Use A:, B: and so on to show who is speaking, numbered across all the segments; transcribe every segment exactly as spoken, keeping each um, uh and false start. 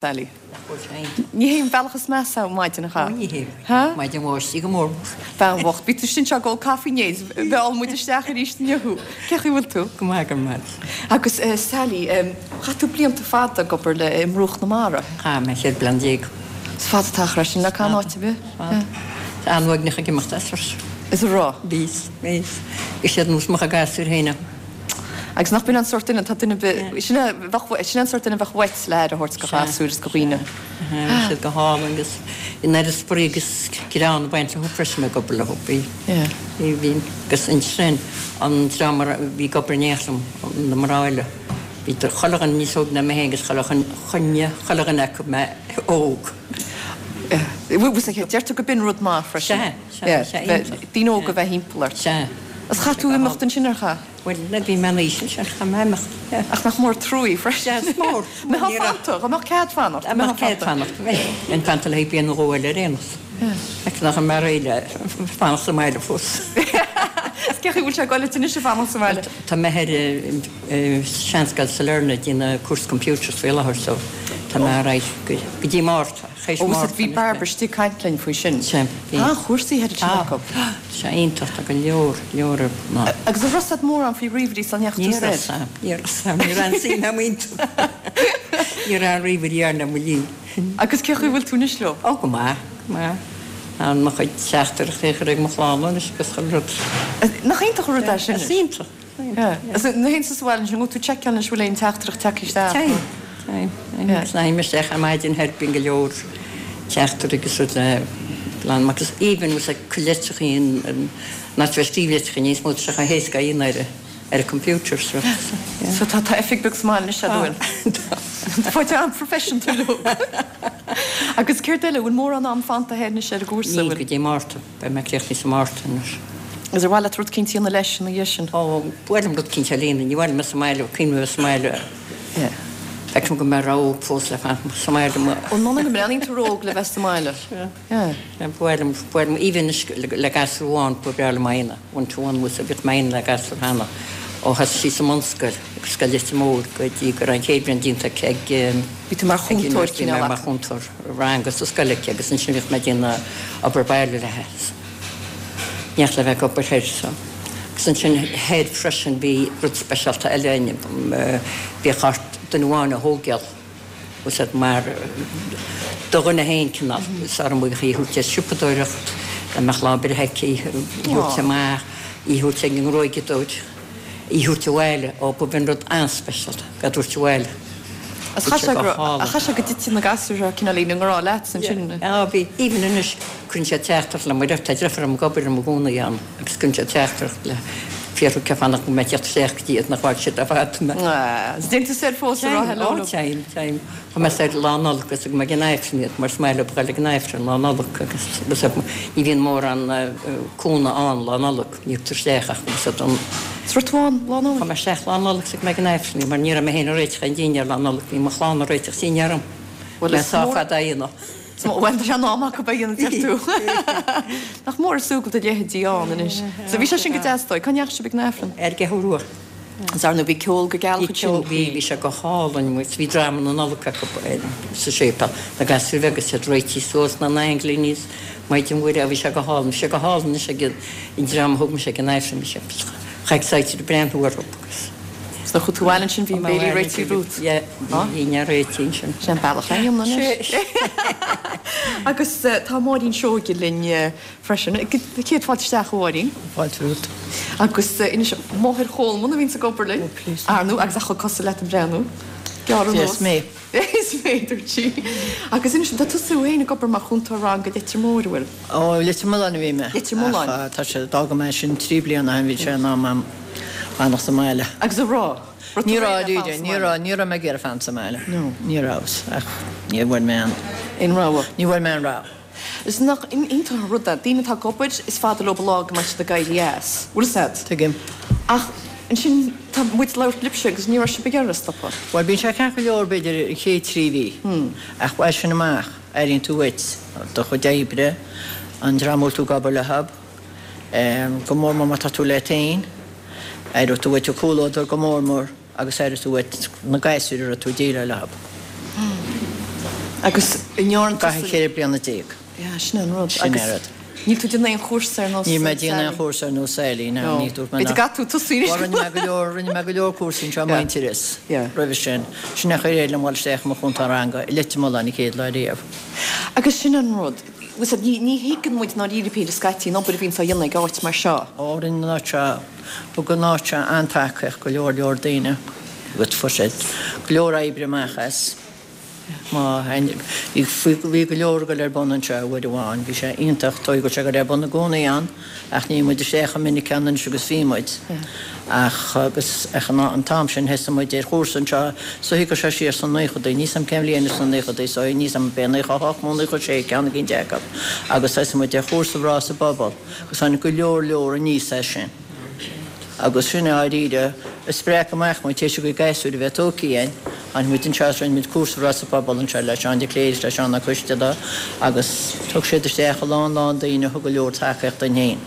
A: Sally. Ní hé an bealach is measa maidin a cha.
B: Ní hé.
A: Ha?
B: Maidin bháistí go mór.
A: Bean bhocht, bhí tú sin seo ag ól caife inné, mheall muid isteach arís inniu thú. Cén chaoi a bhfuil tú?
B: Go maith go maith.
A: Agus eh, Sally, um, chaith tú blianta fada ag obair le i mBruach na Mara.
B: Chaith mé ceithre bliana déag.
A: Is fada t-achar é sin le can áit ar bith.
B: Tá an-uaigneach ag imeacht as ort.
A: Is a rá.
B: Bhíos, bhíos. Is iad nós mo gasúir féin.
A: Agus nach b'in an sórt duine, tá duine be- sin é bheadh- sin é an sórt duine bheadh uait le aire a thabhairt do ghasúir is do dhaoine.
B: Bhí siad go hálainn agus in aire spraoi agus greann ag baint leo freisin ag obair leo. Bhí
A: Yeah.
B: bhí bhí agus ansin an dream a bhí ag obair in éineacht liom, na mná eile. Bhí chuile dhuine níos óige ná mé féin agus chuile choinne chuile dhuine acu mé óg.
A: Deirtear go b'in rud maith freisin.
B: Sea, sea,
A: Yeah,
B: sea,
A: bheith-
B: iontach.
A: Daoine óga bheith thimpeall ort.
B: Sea.
A: Is chaith tú imeacht ansin ar chaith?
B: Bhuel, na bhí mé aois ansin, chaith mé imeacht. Yeah.
A: Ach nach mór trua freisin.
B: Sea, is mór.
A: Mbeifeá fanta, dá mbeadh cead fanacht.
B: Dá mbeadh cead fanacht. Bheinn fanta le haghaidh bliain nó dhó eile ar aon nós. Ach nach mé réidh le fanacht sa mbaile fós.
A: Is cén chaoi a bhfuil sé ag dul leat anois ag fanacht sa mbaile?
B: Tá mé ar seanscoil Sailearna ag déanamh cúrsa computers faoi láthair so tá mé ar aghaidh go go dtí Márta. Théis
A: Ó,
B: Márta
A: bhí Barbara istigh ag caint linn faoi sin.
B: Sea, bhí.
A: Tá chúrsaí thoir
B: Tá,
A: acu.
B: sé iontach, tá go leor, leor ná.
A: Agus an raibh mórán faoi ríomhairí sula ndeachaigh
B: Ní
A: tú
B: raibh
A: soir?
B: sam, ní raibh sam, ní raibh an suim agam iontu. Ní raibh an ríomhairí ann le mo linn.
A: Agus cén chaoi a bhfuil tú anois leo?
B: Ó, go maith, go maith. Tá mo chuid teachtaireachtaí a chur ag mo chlann anois agus chuile rud.
A: Nach iontach an rud é sin?
B: Is iontach.
A: Is na haon sa bhaile sin, tú seiceáil anois bhfuil aon teachtaireacht tagtha isteach?
B: Téim, téim. Agus ná isteach ar maidin thoir bíonn go leor teachtaireachtaí agus rud le lán agus even was ag litreacha nach bheith scríobh litreacha níos mó tá sé chomh héasca a dhéanamh ar ar an computer so. yeah.
A: So tá tá oifig beag sa mbaile anois a bhfuil. Fáilte an-professional leo. Agus céard eile bhfuil mórán am fanta anois ar an gcúrsa
B: Níl
A: bhfuil.
B: go dtí Márta, beidh mé críochnaithe sa Márta anois.
A: Agus ar mhaith leat rud eicínt a dhéanamh leis ina dhiaidh sin.
B: Ó, bhuel rud eicínt a líonadh, ní bhfuil mé sa mbaile, cuimhin mé sa mbaile.
A: Yeah.
B: Feicim go mbeidh rogha fós le fanacht sa mbaile mo
A: Ó nonna go mbreathnaíonn tú róg le bheith sa mbaile. Yeah.
B: Bhuel, bhuel, even le le gasúr amháin ba bhreá liom é one to one was a bit main le gasúr cheana. Ó thosaigh sí sa mbunscoil, agus scoil Leitir Móir go dtí go raibh an chéad bhliain déanta aici ag
A: Bhí tú mar chúntóir
B: Bhí mé
A: cineál
B: mar
A: acu.
B: chúntóir ranga sa scoil aici agus ansin bhíodh mé ag déanamh obair baile léi. Neach le bheith ag obair thoir so. Agus ansin thoir freisin bhí rud speisialta eile in bhíodh ort duine amháin a thógáil. Was it mar do dhuine féin cineál sara mbeadh í thabhairt ar siopadóireacht, le mbeadh lá breithe aici, í thabhairt amach, í thabhairt ag an ngruaigeadóir, í thabhairt abhaile, ó ba bhíonn rud an-speisialta, go dtabhairt abhaile.
A: As chaith sé go chaith sé go dtite na gasúir cineál i ngrá leat ansin.
B: Á bhí even anois cuireann sé teachtaireacht le mar tá deirfiúr agam ag obair i gcónaí ann agus cuireann sé teachtaireacht le fiafraí cé fanacht go mbeidh teacht isteach go dtí iad nach bhfág siad ar fad mé.
A: Is déan tú soir fós a rá hello.
B: Ó téim, téim. Chuaigh mé soir lá Nollag agus go mbeidh an Aifreann iad mar is maith leo dul ag an Aifreann lá Nollag agus agus ní bhíonn mórán cúnamh ann lá Nollag, ní thugtar isteach ach agus an
A: Is rud amháin lá Nollag.
B: Chuaigh mé isteach lá Nollag agus go mbeidh an Aifreann mar ní raibh mé féin ag réiteach an dinnéar lá Nollag, bhí mo chlann ag réiteach dinnéar orm.
A: Bhuel,
B: Mé
A: is
B: sá
A: mór-
B: fada a dhéanamh.
A: Bhuel tá sé an am acu beidh an deir tú. Nach mór súgal do leithéidí ann anois. So bhí sé sin go deas dóigh, Cá ndeachaigh sibh ag an Aifreann?
B: Ar an gCeathrú Rua.
A: Is ar ndóigh bhí ceol go geal
B: Bhí
A: ansin.
B: bhí bhí sé go hálainn muid, bhí dráma na Nollag acu sa séipéal. Na gasúir agus iad réitithe suas na n-ainglíní Maidin Mhuire, bhí sé go hálainn, bhí sé go hálainn anois ag an dream a thug mise ag an Aifreann, bhí sé chomh excited ag breathnú orthu agus.
A: So chuaigh tú abhaile ansin bhí an béilí réitithe romhat.
B: Yeah, bhí ní réitithe ansin.
A: Sin bealach le dhéanamh anois. Agus tá Máirín Seoige linn freisin. Céad fáilte isteach a Mháirín.
C: Fáilte romhat.
A: Agus inis máthair Cholman a bhíonn ag obair linn.
C: Oh, please.
A: Ar ndóigh agus a chomh cosúil leat an breathnú. Gearr
C: Yes, mé.
A: Is féidir tí. Agus inis tá tusa féin ag obair mar chúntóir ranga Leitir Móir bhfuil.
C: Ó Leitir Mealláin a bhí mé.
A: Leitir Mealláin.
C: Ach, Tá sé d'fhág mé sin trí bliana bhí sé in am fanacht sa mbaile.
A: Agus a rá.
C: Ní raibh ní raibh ní raibh mé ag iarraidh fanacht sa mbaile.
A: No.
C: Ní raibh ach ní bhfuair mé an
A: In rogha.
C: ní bhfuair mé an rogha.
A: Is nach iontach an rud é, daoine atá ag obair is fada leo lá go mbeidh siad ag éirí as. Bhfuil sad?
C: Tuigim.
A: Ach ansin tá muid labhairt libhse agus ní raibh sibh ag iarraidh stopadh.
C: Well bíonn sé ceart go leor b'fhéidir an chéad trí mhí. Ach as sin amach airíonn tú uait do chuid oibre an dream tú ag obair leo, go mór mór má tá tú leat féin, aireoidh tú uait an comhluadar go mór mór agus aireoidh tú uait na gasúir a raibh tú ag déileáil leo.
A: Agus an ndearna
C: Caithfidh ceithre bliana déag.
A: Yeah, sin an rud.
C: Sin an rud.
A: Níl tú ag déanamh aon chúrsa ar nós
C: Níl mé ag déanamh aon chúrsa ar nós Sally, no, ní dúirt mé
A: B'fhéidir go gcaithfidh tú tosú anois.
C: Rinne mé go leor, rinne mé go leor cúrsaí anseo i Muintearas roimhe sin. Sin é a chuir liom dul isteach i mo chúntóir ranga i Leitir Mealláin an chéad lá riamh.
A: Agus sin an rud, bhfuil fhios agat, ní thuigeann muid ndáiríre píre scaití an obair a bhíonns á dhéanamh ag áit mar seo.
C: Ó, rinne an áit seo, thug an áit seo an-tacaíocht go leor leor daoine agus fuair siad go leor oibre amach as. Má bhí go leor ag dul ar bun anseo uair amháin, bhí sé iontach, tá go sé ag dul ar bun i gcónaí ann, ach níl muid isteach chomh minic ann anois agus bhí muid. Ach agus ach an t-am sin thosaigh muid ar chúrsa anseo, so thig sé siar sna naochadaí, níl 's a'm cén bhliain sna naochadaí, so níl 's a'm b'é naocha a hocht nó naocha a sé ceann eicínt acu, agus thosaigh muid ar chúrsa Mná sa bPobal agus tháinig go leor leor aníos as sin. Agus sin i ndáiríre a spreag amach muid, théis ár gcuid gasúir a bheith tógtha againn, tháinig muid anseo is rinne muid cúrsa Mná sa Phobal anseo le Seán de Cléir is le Seán Ó Coisteala agus thug siad isteach a lán lán daoine a thug go leor tacaíocht dúinn féin.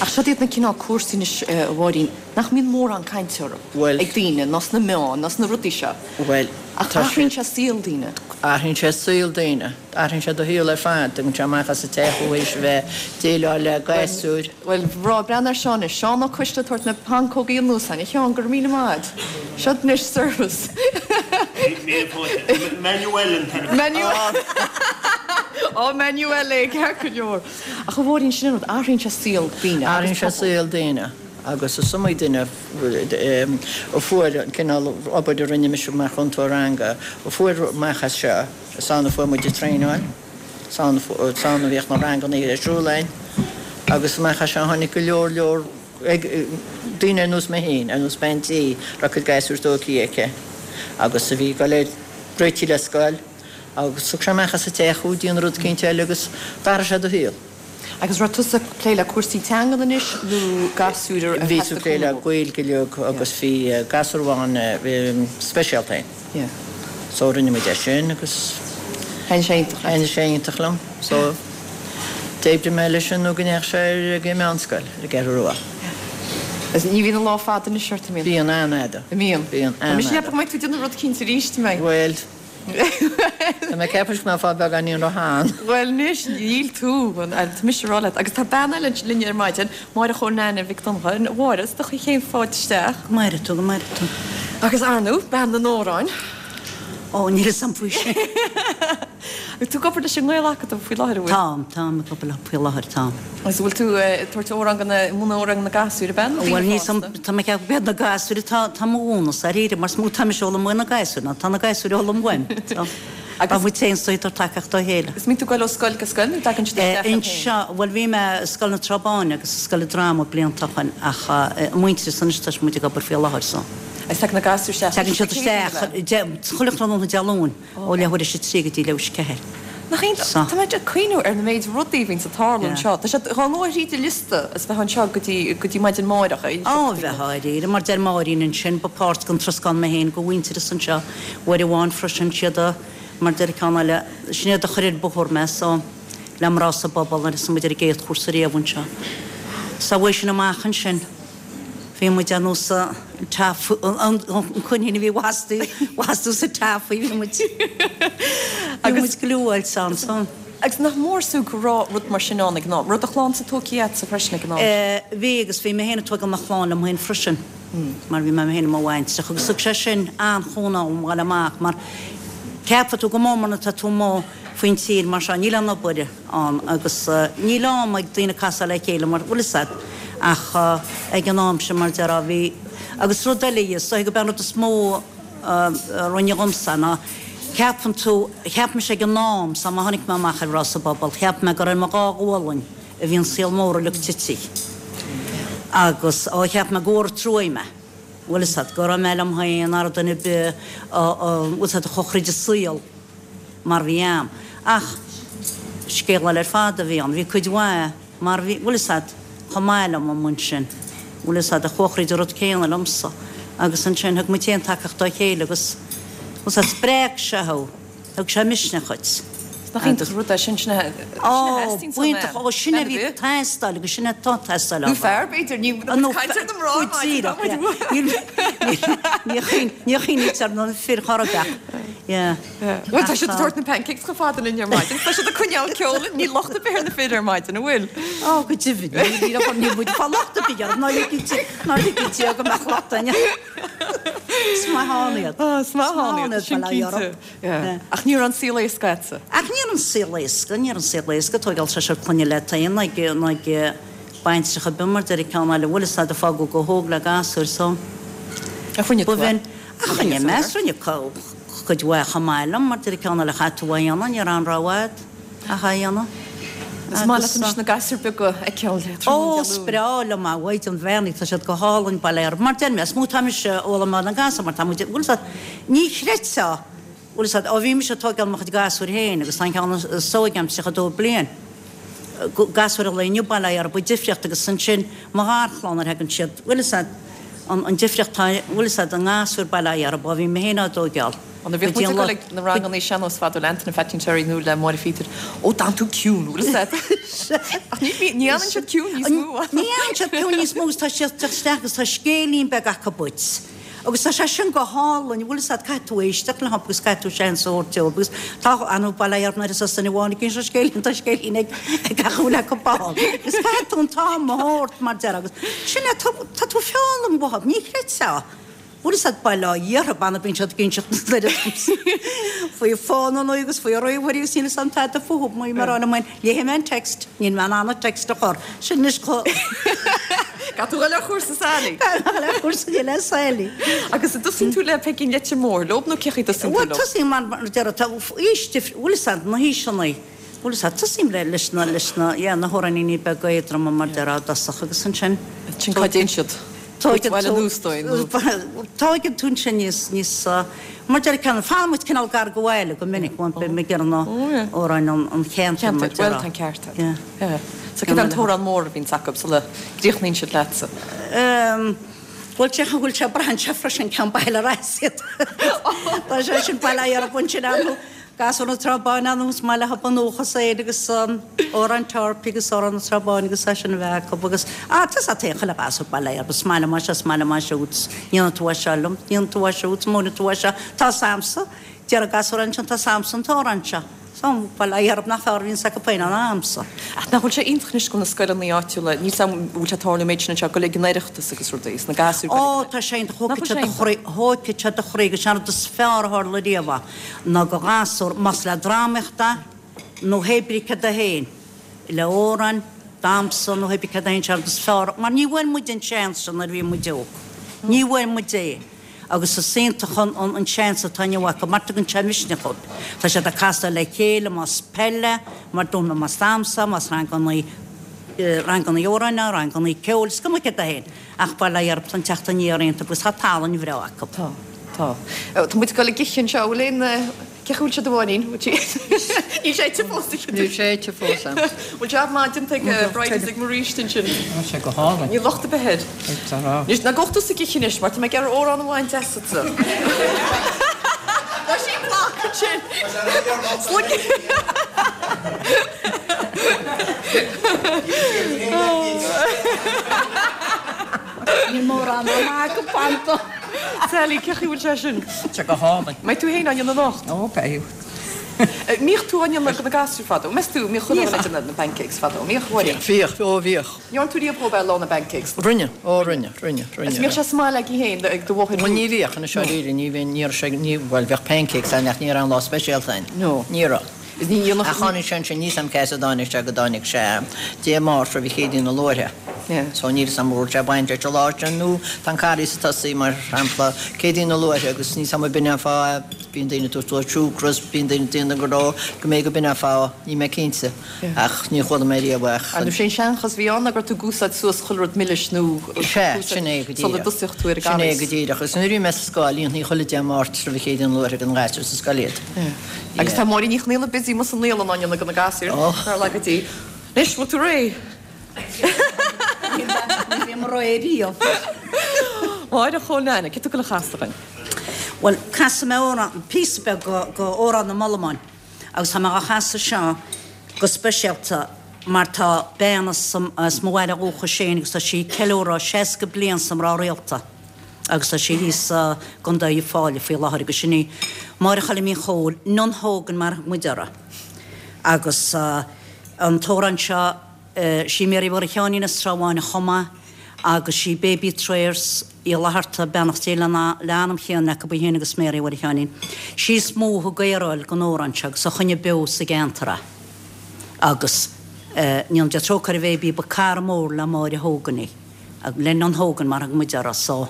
A: Ach siod iad na cineál cúrsaí anois, a Mháirín, nach mbíonn mórán cainte orthu ag daoine, ná sna meáin, ná sna rudaí seo.
C: Bhuel,
A: Ach athraíonn sé saol daoine.
C: Athraíonn sé saol daoine. Athraíonn sé do shaol ar fad. Tagann sé amach as an teach thú théis a bheith déileáil le gasúir.
A: Bhuel, bhreá, breathnaigh ar Seán anois. Seán Ó Coisteala ag tabhairt na pancógaí anuas againn. A Sheáin, go raibh míle maith agat. Seo anois service.
D: Míle fáilte. Manuel an t-ainm.
A: Manuel. Ó, Manuel é, ceart go leor. Ach a Mháirín, sin an rud, athraíonn sé saol daoine
C: Athraíonn
A: agus
C: sé
A: pobal.
C: saol daoine agus is iomaí duine a fuair an cineál obair a rinne mise mar chúntóir ranga, a fuair amach as seo, is ann a fuair muid an traenáil, is ann a bhíodh na ranganna ar siúl againn agus amach as seo tháinig go leor leor daoine ar nós mé féin, ar nós bean tí, a raibh cuid gasúir tógtha aici agus a bhí ag dul ar réitigh le scoil agus thug sé amach as an teach thú, déan rud eicínt eile agus d'athraigh sé do shaol.
A: Agus raibh tusa ag plé le cúrsaí teangan anois nó gasúir ar
C: Bhíos ag
A: theastaigh
C: plé le
A: cúnamh?
C: Gaeilge uilig agus bhí gasúr amháin speisialta againn.
A: Yeah.
C: So rinne muid é sin agus
A: Thaitnigh sé iontach leat.
C: Thaitnigh sé iontach liom. So d'oibrigh mé leis sin nó go ndeachaigh sé ar an meánscoil ar an gCeathrú Rua.
A: Agus ní bhíonn an lá fada anois ort, an mbíonn?
C: Bíonn an-fhada.
A: An mbíonn?
C: Bíonn
A: Tá mise ag
C: an-fhada.
A: ceapadh go mbeidh tú ag déanamh rud eicínt arís, an mbeidh?
C: Bhuel, tá mé ag ceapadh go mbeidh fá beagáinín róshean.
A: Bhuel anois, níl tú, tá mise ag rá leat. Agus tá bean eile linn ar maidin, Máire Chóil Neaine Mhic Donncha. A Mháire, is do chéad fáilte isteach.
E: Go maire tú, go maire tú.
A: Agus ar ndóigh, bean na n-amhrán.
E: Ó, níl a fhios agam faoi sin.
A: Agus tú ag obair leis an nGael-Acadamh faoi láthair, an bhfuil?
E: Táim, táim ag obair leo faoi láthair, táim.
A: Agus an bhfuil tú ag tabhairt amhrán do na, múineadh amhrán do na gasúir, ab ea, nó daoine
E: Bhuel, níl a fhios
A: fásta?
E: agam, tá mé ag ceapadh gurb iad na gasúir atá, atá mo mhúineadh, dáiríre, mar is mó atá mise ag foghlaim ó na gasúir ná tá na gasúir ag foghlaim uaim. So,
A: Agus.
E: Tá muid féin ag tabhairt tacaíocht dá chéile.
A: Is mbíonn tú ag goil ó scoil go scoil nó dtagann siad isteach agat féin?
E: Anseo, bhuel bhí mé i Scoil na Trá Báine agus i Scoil an Dráma blianta ó shin ach i Muintearas anois tá muid ag obair faoi láthair so.
A: Agus tagann na gasúir isteach
E: Tagann siad isteach chuile thráthnóna Dé Luain ó leathuair théis a trí go dtí leathuair théis a ceathair.
A: Nach iontach?
E: So.
A: Tá mé ag cuimhniú ar na méid rudaí a bhíonns ag tarlú anseo. Tá sé dhá ngabháil thríd an liosta is bheith anseo go dtí go dtí maidin amárach.
E: Á, bheith dáiríre, mar deir Máirín ansin, ba páirt den troscán mé féin go Mhuintearas anseo uair amháin freisin siad a, mar deir ceann eile, sin iad a chuir ar bóthar mé so le mná sa bpobal nuair a thosaigh muid ar an gcéad chúrsa riamh anseo. So uaidh sin amach ansin bhí muid ar nós an an coinín a bhí bhastú sa taffy bhí muid bhí muid gluáilte ansan.
A: Agus nach mór sú go raibh rud mar sin ann ag an am? Raibh do chlannsa tógtha agatsa freisin ag an am sin?
E: Bhí agus bhí mé féin ag tógáil mo chlann liom féin freisin mar bhí mé féin i mo bhaintreach agus thug sé sin an-chúnamh dom ghabháil amach mar ceapfaidh tú go mór mór nuair atá tú amuigh faoin tír mar seo níl aon obair ann agus níl am ag daoine casadh le chéile mar bhfuil fhios agat ach ag an am sin mar déarfá bhí agus rud eile is dóigh gurb é an rud is mó a rinne dhomsa ná ceapann tú cheap mise ag an am san má tháinig mé amach ar Mhná sa bPobal cheap mé gur ar mo dhá ghualainn a bhí an saol mór uilig tite agus ó cheap mé gur truaí mé bhfuil fhios agat go raibh mé liom féin nach raibh duine ar bith bhfuil fhios agat a chuaigh thríd an saol mar bhí a'm. Ach scéal eile ar fad a bhí ann. Bhí cuid mhaith mar bhí, bhfuil fhios agat, chomh maith liom amuigh ansin, bhfuil fhios agat, a chuaigh thríd an rud céanna liomsa. Agus ansin thug muid féin tacaíocht dá chéile agus, bhfuil fhios agat, spreag sé thú, thug sé misneach dhuit.
A: Nach iontach an rud é sin, sin a
E: Ó,
A: theastaíonn ón
E: b'iontach, ó, sin a bhí ag teastáil agus sin atá ag teastáil
A: Nó fear, b'fhéidir, ní caint ar na mná
E: Go díreach, yeah. Ní chuimhnítear na fir chor ar bith. Yeah.
A: Bhuel, tá siad ag tabhairt na pancakes chomh fada linn ar maidin. Tá siad ag coinneáil ceoil, níl locht ar bith ar na fir ar maidin, an bhfuil?
E: Ó, go deimhin, níl níl níl muid ag fáil locht ar bith orthu, ná ligfidh ná ligfidh Dia go mbeadh locht againne. Is maith ann iad.
A: Á, is maith ann iad, sin
E: bail ó
A: cinnte.
E: orthu.
A: Yeah. Ach ní raibh an saol éasca agatsa.
E: Ach ní raibh an saol éasca, ní raibh an saol éasca, tógáil seisear clainne leat féin, ag ag baintreach ar bith mar deir an ceann eile, bhfuil fhios a'd a fágadh go hóg le gasúir so.
A: Ach rinne tú é.
E: Ach rinne mé, rinne cuid mhaith chomh maith liom, mar deir an ceann eile chaith tú é a dhéanamh, ní raibh aon rogha a'd ach é a dhéanamh.
A: Is maith leat anois na gasúir beaga a fheiceáil tráthnóna
E: Ó,
A: Dé
E: is
A: Luain.
E: breá liom a Mhaighdean Bheannaithe, tá siad go hálainn, bail orthu. Mar deir mé, is mó tá mise ag foghlaim ó na gasúir, mar tá muid, bhfuil fhios a'd, ní chreidfeá, bhfuil fhios a'd, ó bhí mise ag tógáil mo chuid gasúir féin agus tá an ceann is óige a'm tríocha dó bliain. Gasúir an lae inniu, bail orthu, an difríocht agus ansin mo gharchlann nuair a thagann siad, bhfuil fhios a'd, an an difríocht tá, bhfuil fhios a'd, i ngasúir bail orthu, ó bhí mé féin á dtógáil.
A: Ó nuair a bhíodh muid ag dul ag na ranganna sean-nós fadó le Antaine Phaidín Terry nó le Máire Phíotair, ó d'fhan tú ciúin, bhfuil fhios a'd. Ach ní ní fhanann siad ciúin níos mó.
E: Ní fhanann siad ciúin níos mó agus tá siad ag teacht isteach agus tá scéilín beag acu duit. Agus tá sé sin go hálainn, bhfuil fhios a'd, caithfidh tú éisteacht leo agus caithfidh tú seans a thabhairt dóibh agus tá anú bail orthu nuair is as duine amháin ag inse scéilín, tá scéilín ag ag gach uile acu ann. Agus caithfidh tú an t-am a thabhairt mar deir agus sin é, tá tá tú ag foghlaim uathu, ní chreidfeá. Bhfuil fhios a'd bail ó Dhia orthu, b'annamh bíonn siad ag inseacht na faoi fónanna agus faoi ríomhairí agus níl fhios a'm tada fúthu, mar mar a rá liom, léifidh mé an text, níl mé in ann an text a chur. Sin anois chomh.
A: Caithfidh tú dhul ar chúrsa Sally.
E: Caithfidh mé dhul ar chúrsa le Sally.
A: Agus an dtosaíonn tú le Peigín Leitir Móir leob nó cé chaoi a dtosaíonn tú
E: Bhuel,
A: leo?
E: tosaím mar mar deir tá aois difriúil, bhfuil fhios a'd, na haoiseanna, bhfuil fhios a'd, tosaím le leis na leis na yeah, na hamhráiníní beaga éadroma mar deir i dtosach agus ansin.
A: Sin cá dtéann siad?
E: Tóigeann
A: Bhaile
E: tú
A: anuas dóibh nó?
E: Tóigeann tú ansin níos níos mar deir ceann fanann muid cineál gar go bhaile go minic, bhuel beidh mé ag iarraidh na amhráin an an cheantair mar
A: Ceantair,
E: deir.
A: bhuel tá an ceart agat.
E: Yeah.
A: Yeah. So cad é an t-amhrán mór a bhíonns acu sula gcríochnaíonn siad leatsa?
E: Um, bhfuil sé bhfuil sé braitheann sé freisin cén baile ar as iad. Tá sé sin bail ó Dhia orthu ansin ann Gasúir na Trá Báine ann is maith leo an dúchas é agus an amhrán Torpey agus amhrán na Trá Báine agus é sin a bheith acu agus ah tá sa taobh chuile ghasúr bail ó Dhia orthu is maith liom é seo is maith liom é siúd ndéanann tú é seo liom ndéanann tú é siúd múineann tú é seo tá 's a'msa deir an gasúr ansin tá 's a'msa an t-amhrán seo. So bail ó Dhia orthu nach fearr a bhíonns acu féin ná a'msa.
A: Ach nach bhfuil sé iontach anois go bhfuil na scoileanna áitiúla, níl 's a'm an bhfuil sé ag tarlú an méid sin anseo, go ag an Oireachtas agus rudaí, is na gasúir go
E: Ó tá sé iontach,
A: Nach
E: thógfaidh
A: bhfuil
E: sé
A: sé
E: do
A: iontach?
E: chroí, thógfaidh sé do chroí agus sé an rud is fearr a tharla riamh é ná go ghasúr, más le drámaíocht é nó hé brí cad é féin, le amhrán, damhsa nó hé brí cad é féin, sé an rud is fearr, mar ní bhfuair muid an seans sin nuair a bhí muid óg. Ní bhfuair muid é. Agus is iontach an an seans atá inniu acu, mar tugann sé misneach dóibh. Tá siad ag casadh le chéile, más peile, mar dúirt mé, más damhsa, más ranganna ranganna amhráin, ranganna ceoil, is cuma céard é féin. Ach bail ó Dhia orthu, tá an teacht aniar iontach agus tá tallann bhreá acu.
A: Tá, tá. Tá muid ag dul ag ithe anseo, bhfuil aon Cé chaoi a bhfuil sé do bháinín? Níl sé ite fós ag
C: Níl sé ite fós a'm.
A: Bhfuil jab maith déanta ag Bridie is ag Maurice ansin?
C: Tá sé go hálainn.
A: Níl locht ar bith air.
C: Tá rá.
A: Anois ná gabh tusa ag ithe anois mar tá mé ag iarraidh amhrán amháin deas asatsa. Tá sí block ansin. Sluig.
E: Níl mórán ama acu fanta.
A: Sally, cé chaoi a bhfuil sé sin?
C: Tá sé go hálainn.
A: Mbeidh tú féin á dhéanamh anocht?
C: Ó, beidh.
A: Mbíodh tú á ndéanamh do na gasúir fadó? Meas tú, mbíodh chuile dhuine ag déanamh na pancakes fadó? Mbíodh, Mháirín?
C: Bhíodh, ó bhíodh.
A: Ndearna tú riamh dhóibh ar lá na bpancakes?
C: Rinne, ó rinne, rinne, rinne.
A: Is mbíodh sé sa mbaile agaibh féin, ag do mháthair?
C: Bhuel ní bhíodh, anois dáiríre, ní bhíonn, ní raibh sé, ní, bhuel bheadh pancakes ann ach ní raibh aon lá speisialta ann.
A: No.
C: Ní raibh.
A: Is ní dhéanfadh.
C: Ach tháinig sé ansin, níl 's a'm cá as a dtáinig sé, go dtáinig sé Dé Máirt roimh Chéadaoin na Luaithe.
A: Yeah.
C: So níl 's a'm an raibh sé baint leis an lá sin nó tá an Carghas ag tosaí mar shampla Céadaoin na Luaithe agus níl 's a'm b'in an fáth bíonn daoine ag tabhairt suas siúcra is bíonn daoine ag déanamh go raibh go mbeidh go b'in an fáth, níl mé cinnte ach níor chuala mé riamh ach.
A: An sé an seanchas a bhí ann ná go raibh tú ag úsáid suas chuile rud milis nó
C: Sea, sin é go
A: sula
C: díreach.
A: dtosaíodh tú ar an
C: Sin é
A: gCarghas.
C: go díreach. Agus nuair a bhí mé sa scoil, dhéantaí chuile Dé Máirt roimh Chéadaoin na Luaithe don ghasúr sa scoil iad.
A: Agus tá Máirín Ní Chonaola busy amuigh sa naíolann á ndéanamh do na gasúir. Nár laga Dia. Anois, bhfuil tú réidh?
E: Ní bhím réidh riamh.
A: Máire Chóil Neaine, cé tú ag dul a chasadh dúinn?
E: Bhuel, casfaidh mé amhrán, píosa beag go Amhrán na mBollamán agus tá mé á chasadh seo go speisialta mar tá bean as mo bhaile dhúchais féin agus tá sí ag ceiliúradh seasca bliain sa mná rialta. Agus tá sí thíos i gContae Uíbh Fhailí faoi láthair agus sin í Máire Choilm Uí Chomhaill, Nan Hogan mar a thug muid uirthi. Agus an t-amhrán seo, sí Mary Mháire Sheáinín as Trá Bháin a chum é agus sí Baby Trayers Uí Fhlatharta, beannacht Dé lena anam chéanna acu í féin agus Mary Mháire Sheáinín. Sí is mó a thug aeráil don amhrán seo agus a choinnigh beo sa gceantar é. Agus go ndéana Dia trócaire ar Bhaby, ba cara mór le Máire Hogan í, le Nan Hogan mar a thug muid uirthi, so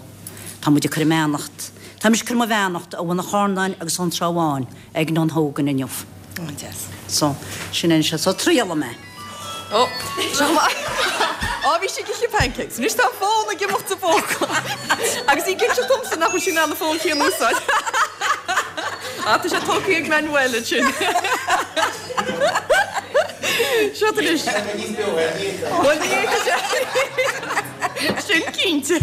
E: tá muid ag cur a mbeannacht, tá mise ag cur mo bheannacht ó Bhun an Charnáin agus ón Trá Bháin ag Nan Hogan inniu.
A: An-deas.
E: So, sin é seo. So, triailfidh mé.
A: Ó, seo maith. Á, bhí sí ag ithe pancakes. Anois tá an fón ag imeacht sa phóca. Agus í ag inseacht domsa nach bhfuil sí in ann an fón chéanna a úsáid. Á, tá sé tógtha ag Manuel ansin. Seo anois. Bhuel, ní fhéadfadh sé. Sin cinnte.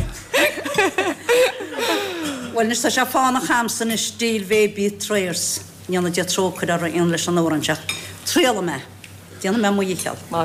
E: Bhuel, anois tá sé fánach a'msa anois díol Bhaby Trayers. Go ndéana Dia trócaire uirthi leis an amhrán seo. Triailfidh mé. Déanfaidh mé mo dhícheall.